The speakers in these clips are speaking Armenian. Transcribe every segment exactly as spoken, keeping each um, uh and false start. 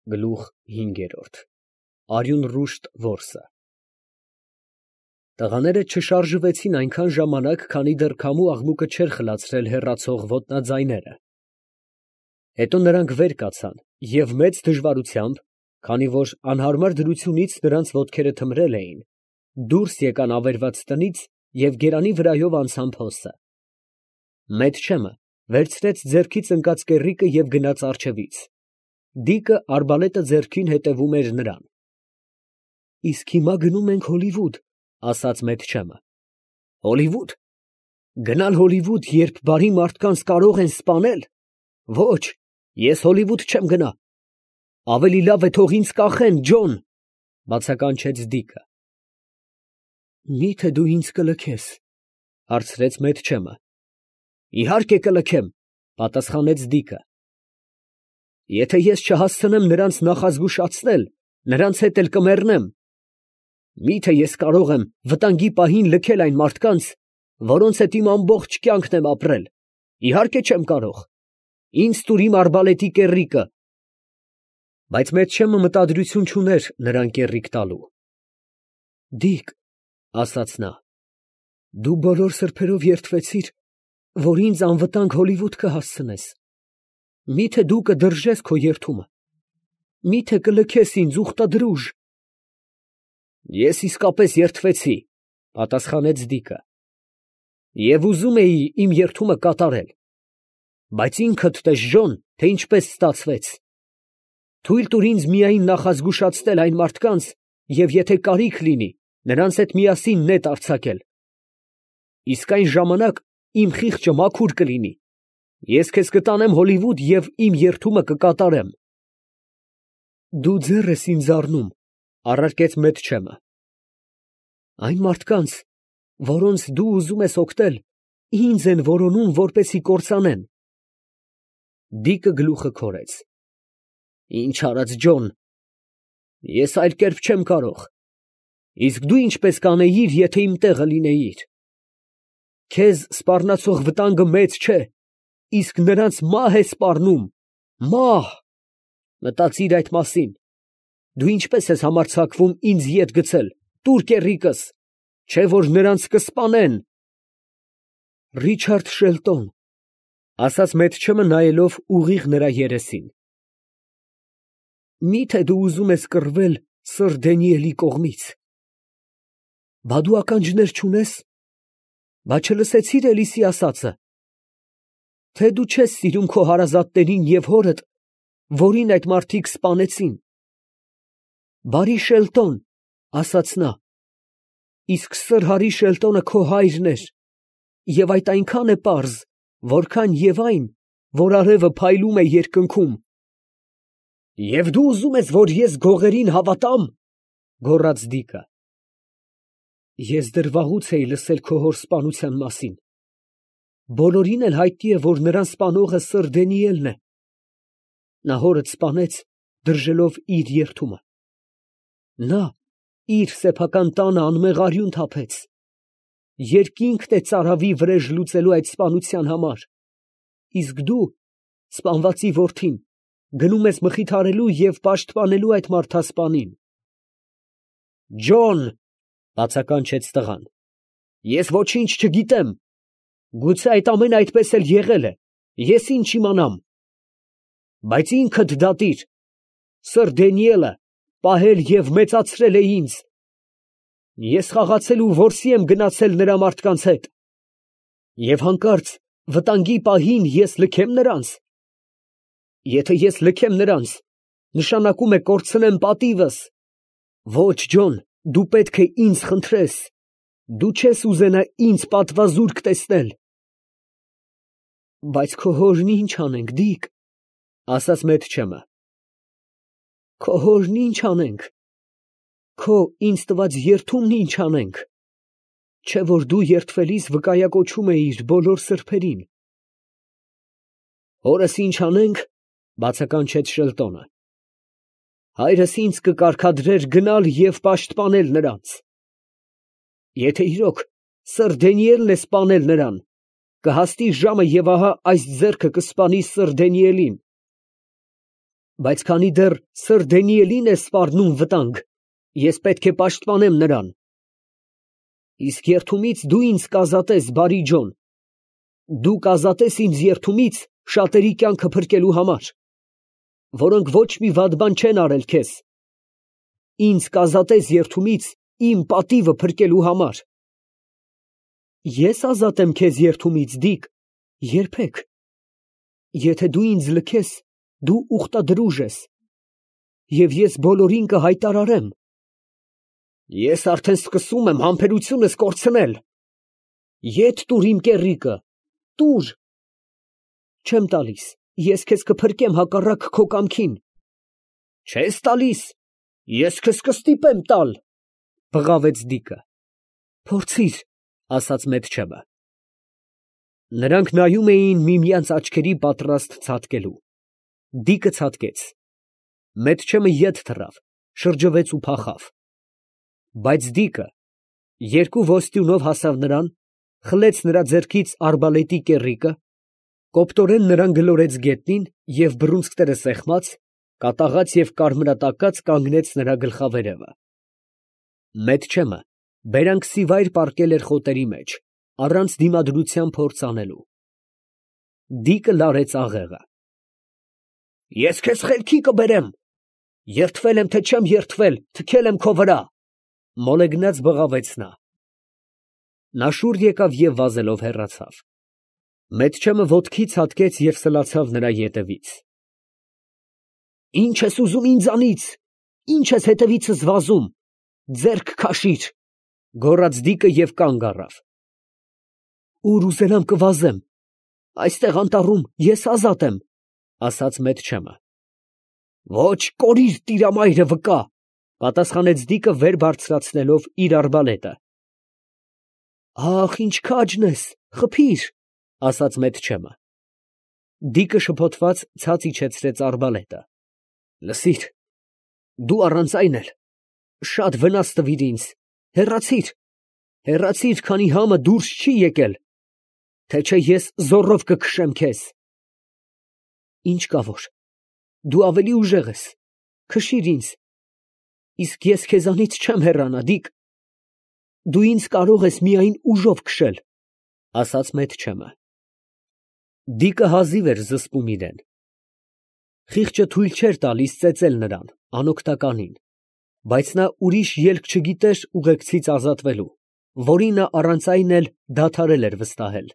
Գլուխ հինգերորդ Արյուն ռուշտ որսը Տղաները չշարժվեցին այնքան ժամանակ, քանի դեռ քամու աղմուկը չէր խլացրել հեռացող ոտնաձայները. հետո նրանք վեր կացան և մեծ դժվարությամբ, քանի որ անհարմար դրությունից նրանց ոտքերը թմրել էին, դուրս եկան ավերված տնից և գերանի վրայով անցան փոսը. Մեթչեմը վերցրեց ձեռքից ընկած կեռիկը և գնաց առջևից. Դիկը արբալետը ձեռքին հետևում էր նրան։ ֊ Իսկ հիմա գնում ենք Հոլիվուդ, ֊ ասաց Մեթչեմը։ ֊ Հոլիվուդ, գնալ Հոլիվուդ, երբ բարի մարդկանց կարող են սպանել, ոչ, ես Հոլիվուդ չեմ գնա, ավելի լավ է թող ինձ կախեն, Ջոն, ֊ բացականչեց Դիկը։ ֊ Մի՞թե դու ինձ կլքես, ֊ հարցրեց Մեթչեմը։ ֊ Իհարկե կլքեմ, ֊ պատասխանեց Դիկը։ Եթե ես չհասցնեմ նրանց նախազգուշացնել, նրանց հետ էլ կմեռնեմ։ Մի՞թե ես կարող եմ վտանգի պահին լքել այն մարդկանց, որոնց հետ իմ ամբողջ կյանքն եմ ապրել, իհարկե չեմ կարող, ինձ տուր իմ արբալետի կեռիկը։ Բայց Մեթչեմը մտադրություն չուներ նրան կեռիկ տալու։ Դիկ, ֊ ասաց նա, ֊ դու բոլոր սրբերով երդվեցիր, որ ինձ անվտանգ Հոլիվուդ կհասցնես, մի՞թե դու կդրժես քո երդումը, մի՞թե կլքես ինձ ուխտադրուժ։ Ես իսկապես երդվեցի, ֊ պատասխանեց Դիկը, և ուզում էի իմ երդումը կատարել, բայց ինքդ տես, Ժոն, թե ինչպես ստացվեց։ Թույլ տուր ինձ միայն նախազգուշացնել այն մարդկանց և եթե կարիք լինի, նրանց հետ միասին նետ արձակել։ Իսկ այն ժամանակ իմ խիղճը մաքուր կլինի, ես քեզ կտանեմ Հոլիվուդ և իմ երդումը կկատարեմ։ Դու ձեռ ես ինձ առնում, ֊ առարկեց Մեթչեմը։ Այն մարդկանց, որոնց դու ուզում ես օգնել, ինձ են որոնում, որպեսզի կործանեն։ Դիկը գլուխը քորեց։ Ինչ արած, Ջոն, ես այլ կերպ չեմ կարող, իսկ դու ինչպես կանեիր, եթե իմ տեղը լինեիր։ Քեզ սպառնացող վտանգը մեծ չէ, իսկ նրանց մահ է սպառնում, մահ, մտածիր այդ մասին։ Դու ինչպես ես համարձակվում ինձ ետ գցել, տուր կեռիկս, չէ որ նրանց կսպանեն։ Ռիչարդ Շելտոն, ֊ ասաց Մեթչեմը, նայելով ուղիղ նրա երեսին, ֊ մի՞թե դու ուզում ես կռվել սըր Դանիելի կողմից։ Բա դու ականջներ չունես, բա չլսեցի՞ր Էլիսի ասածը, թե դու չես սիրում քո հարազատներին և հորդ, որին այդ մարդիկ սպանեցին։ Բարի Շելտոն, ֊ ասաց նա, ֊ իսկ սըր Հարի Շելտոնը քո հայրն էր, և այդ այնքան է պարզ, որքան և այն, որ արևը փայլում է երկնքում։ Եվ դու ուզում ես, որ ես գողերին հավատամ, ֊ գոռաց Դիկը։ Ես դեռ վաղուց էի լսել քո հոր սպանության մասին, բոլորին էլ հայտնի է, որ նրան սպանողը սըր Դանիելն է։ Նա հորդ սպանեց, դրժելով իր երդումը։ Նա իր սեփական տանը անմեղ արյուն թափեց, երկինքն է ծարավի վրեժ լուծելու այդ սպանության համար, իսկ դու, սպանվածի որդին, գնում ես մխիթարելու և պաշտպանելու այդ մարդասպանին։ Ջոն, ֊ բացականչեց տղան, ֊ ես ոչինչ չգիտեմ, գուցե այդ ամենը այդպես էլ եղել է, ես ինչ իմանամ, բայց ինքդ դատիր, սըր Դանիելը պահել և մեծացրել է ինձ, ես խաղացել ու որսի եմ գնացել նրա մարդկանց հետ, և հանկարծ վտանգի պահին ես լքեմ նրանց։ Եթե ես լքեմ նրանց, նշանակում է կորցնեմ պատիվս։ Ոչ, Ջոն, դու պետք է ինձ խնդրես, դու չես ուզենա ինձ պատվազուրկ տեսնել։ Բայց քո հորն ինչ անենք, Դիկ, ֊ ասաց Մեթչեմը։ Քո հորն ինչ անենք, քո ինձ տված երդումն ինչ անենք, չէ որ դու երդվելիս վկայակոչում էիր բոլոր սրբերին։ Հորս ինչ անենք, ֊ բացականչեց Շելտոնը։ Հայրս ինձ կկարգադրեր գնալ և պաշտպանել նրանց։ Եթե իրոք սըր Դանիելն է սպանել նրան, կհասնի ժամը և ահա այս ձեռքը կսպանի սըր Դանիելին։ Բայց քանի դեռ սըր Դենիելին է սպառնում վտանգ, ես պետք է պաշտպանեմ նրան։ Իսկ երդումից դու ինձ կազատես, բարի Ջոն, դու կազատես ինձ երդումից շատերի կյանքը փրկելու համար, որոնք ոչ մի վատ բան չեն արել քեզ, ինձ կազատես երդումից իմ պատիվը փրկելու համար։ Ես ազատեմ քեզ երդումից, Դիկ, երբեք։ Եթե դու ինձ լքես, դու ուխտադրուժ ես, և ես բոլորին կհայտարարեմ։ Ես արդեն սկսում եմ համբերությունս կորցնել։ Ետ տուր իմ կեռիկը, տուր։ Չեմ տալիս, ես քեզ կփրկեմ հակառակ քո կամքին։ Չես տալիս, ես քեզ կստիպեմ տալ, բղավեց Դիկը։ Փորձիր, ասաց Մեթչեմը։ Նրանք նայում էին միմյանց աչքերի պատրաստ ցատկելու։ Դիկը ցատկեց։ Մեթչեմը ետ թռավ, շրջվեց ու փախավ։ Բայց Դիկը երկու ոսტյունով հասավ նրան, խլեց նրա ձեռքից արբալետի կեռիկը, կոպտորեն նրան գլորեց գետնին և բռունցքները սեղմած, կատաղած և կարմրատակած կանգնեց նրա գլխավերևը։ Մեթչեմը բերանքսիվայր պառկել էր խոտերի մեջ, առանց դիմադրության փորձ անելու։ Դիկը լարեց աղեղը։ Ես քեզ խելքի կբերեմ, երդվել եմ, թե չեմ երդվել, թքել եմ քո վրա, մոլեգնած բղավեց նա։ Նա շուռ եկավ և վազելով հեռացավ։ Մեթչեմը ոտքի ցատկեց և սլացավ նրա ետևից։ Ինչ ես ուզում ինձանից, ինչ ես հետևիցս վազում, ձեռք քաշիր, գոռաց Դիկը և կանգ առավ։ Ուր ուզենամ կվազեմ, այստեղ անտառում ես ազատ եմ, ասաց Մեթչեմը։ Ոչ, կորիր տիրամայրը վկա, պատասխանեց Դիկը վեր բարձրացնելով իր արբալետը։ Ախ, ինչ քաջն ես, խփիր, ասաց Մեթչեմը։ Դիկը շփոթված ցած իջեցրեց արբալետը։ Լսիր, դու առանց այն էլ շատ վնաս տվիր ինձ, հեռացիր, հեռացիր, քանի համը դուրս չի եկել, թե չէ ես զոռով կքշեմ քեզ։ Ինչ կա որ, դու ավելի ուժեղ ես, քշիր ինձ, իսկ ես քեզանից չեմ հեռանա, Դիկ, դու ինձ կարող ես միայն ուժով քշել, ասաց Մեթչեմը։ Դիկը հազիվ էր զսպում իրեն։ Խիղճը թույլ չէր տալիս ծեծել նրան, անօգնականին, բայց նա ուրիշ ելք չգիտեր ուղեկցից ազատվելու, որին նա առանց այն էլ դադարել էր վստահել։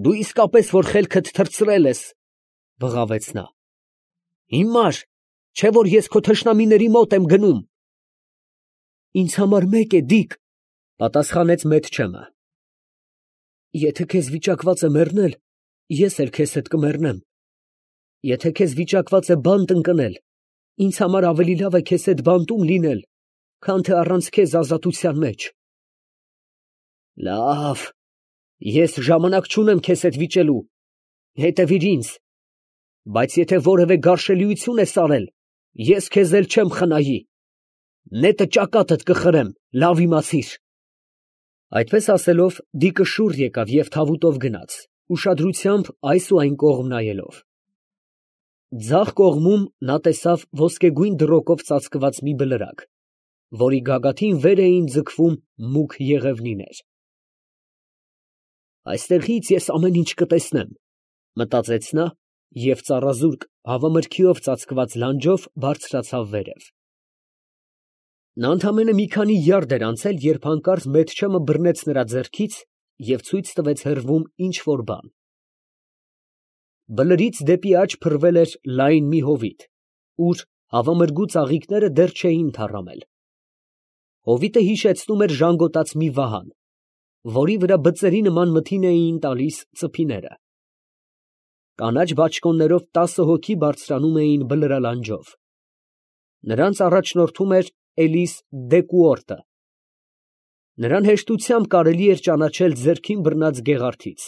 Դու իսկապես որ խելքդ թռցրել ես, բղավեց նա։ Հիմար, չէ որ ես քո թշնամիների մոտ եմ գնում։ Ինձ համար մեկ է, Դիկ, պատասխանեց Մեթչեմը։ Եթե քեզ վիճակված է մեռնել, ես էլ քեզ հետ կմեռնեմ։ Եթե քեզ վիճակված է բանտ ընկնել, ինձ համար ավելի լավ է քեզ հետ բանտում լինել, քան թե առանց քեզ ազատության մեջ։ Լավ, ես ժամանակ չունեմ քեզ հետ վիճելու, հետևիր ինձ, բայց եթե որևէ գարշելիություն ես արել, ես քեզ էլ չեմ խնայի, նետը ճակատդ կխրեմ, լավ իմացիր։ Այդպես ասելով, Դիկը շուռ եկավ և թավուտով գնաց, ուշադրությամբ այս ու այն կողմ նայելով։ Ձախ կողմում նա տեսավ ոսկեգույն դրոշակով ծածկված մի բլրակ, որի գագաթին վեր էին ձգվում մուգ եղևնիներ։ Այստեղից ես ամեն ինչ կտեսնեմ, մտածեց նա և ծառազուրկ հավամրգիով ծածկված լանջով բարձրացավ վերև։ Նա ընդամենը մի քանի յարդ էր անցել, երբ հանկարծ Մեթչեմը բռնեց նրա ձեռքից և ցույց տվեց հեռվում ինչ֊որ բան։ Բլրից դեպի աջ փռվել էր լայն մի հովիտ, ուր հավամրգու ծաղիկները դեռ չէին թառամել։ Հովիտը հիշեցնում էր ժանգոտած մի վահան, որի վրա բծերի նման մթին էին տալիս ծփիները։ Կանաչ բաճկոններով տասը հոգի բարձրանում էին բլրալանջով։ Նրանց առաջնորդում էր Էլիս Դեկուորտը։ Նրան հեշտությամբ կարելի էր ճանաչել ձեռքին բռնած գեղարդից։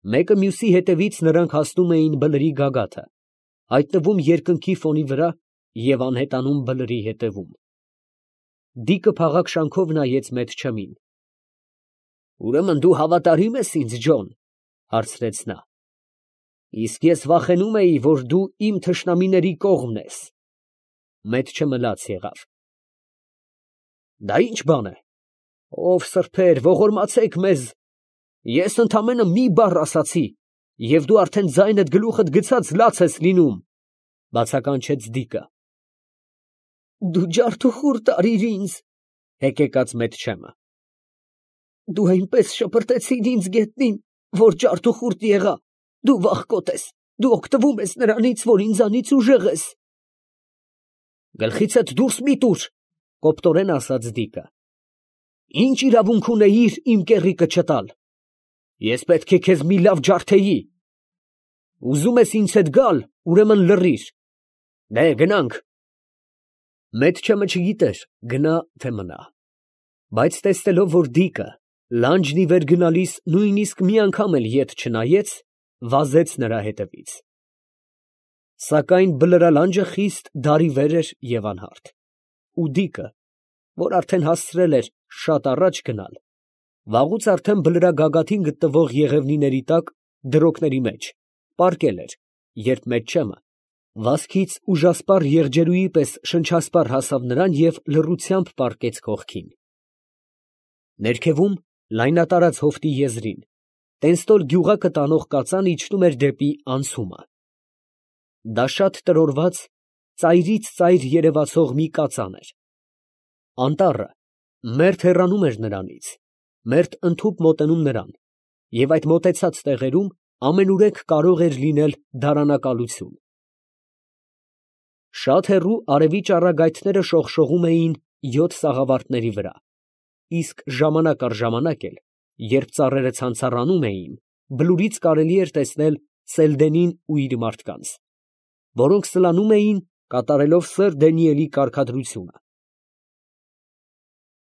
Մեկը մյուսի հետևից նրանք հասնում էին բլրի գագաթը, հայտնվում երկնքի ֆոնի վրա և անհետանում բլրի հետևում։ Դիկը փաղաքշանքով նայեց Մեթչեմին։ Ուրեմն դու հավատարիմ ես ինձ, Ջոն, հարցրեց նա։ Իսկ ես վախենում էի, որ դու իմ թշնամիների կողմն ես։ Մեթչը մլաց եղավ։ Դա ի՞նչ բան է։ Ով սրբեր, ողորմացեք մեզ։ Ես ընդամենը մի բառ ասացի, և դու արդեն ձայնդ գլուխդ գցած լաց ես լինում, բացականչեց Դիկը։ Դու ջարդուխուր տարիր ինձ, հեկեկաց Մեթչեմը։ Դու այնպես շպրտեցիր ինձ գետնին, որ ջարդուխուրդ եղա, դու վախկոտ ես, դու օգտվում ես նրանից, որ ինձանից ուժեղ ես։ Գլխիցդ դուրս մի տուր, կոպտորեն ասաց Դիկը։ Ինչ իրավունք ունեիր իմ կեռիկը չտալ։ Ես պետք է քեզ մի լավ ջարդեի։ Ուզում ես ինձ հետ գալ, ուրեմն լռիր։ Դե գնանք։ Մեթչեմը չգիտեր գնա թե մնա, բայց տեսնելով, որ Դիկը լանջն ի վեր գնալիս նույնիսկ մի անգամ էլ ետ չնայեց, վազեց նրա հետևից։ Սակայն բլրալանջը խիստ դարիվեր էր և անհարթ, ու Դիկը, որ արդեն հասցրել էր շատ առաջ գնալ, վաղուց արդեն բլրագագաթին գտնվող եղևնիների տակ, դրոկների մեջ, պառկել էր, երբ Մեթչեմը վազքից ուժասպառ եղջերուի պես շնչասպառ հասավ նրան և լռությամբ պառկեց կողքին։ Ներքևում, լայնատարած հովտի եզրին, Տենստոլ գյուղակը տանող կածան իջնում էր դեպի անցումը։ Դա շատ տրորված, ծայրից ծայր երևացող մի կածան էր։ Անտառը մերթ հեռանում էր նրանից, մերթ ընդհուպ մոտենում նրան, և այդ մոտեցած տեղերում ամենուրեք կարող էր լինել դարանակալություն։ Շատ հեռու արևի ճառագայթները շողշողում էին յոթ սաղավարտների վրա, իսկ ժամանակ առ ժամանակ էլ, երբ ծառերը ցանցառանում էին, բլուրից կարելի էր տեսնել Սելդենին ու իր մարդկանց, որոնք սլանում էին, կատարելով սըր Դանիելի կարգադրությունը։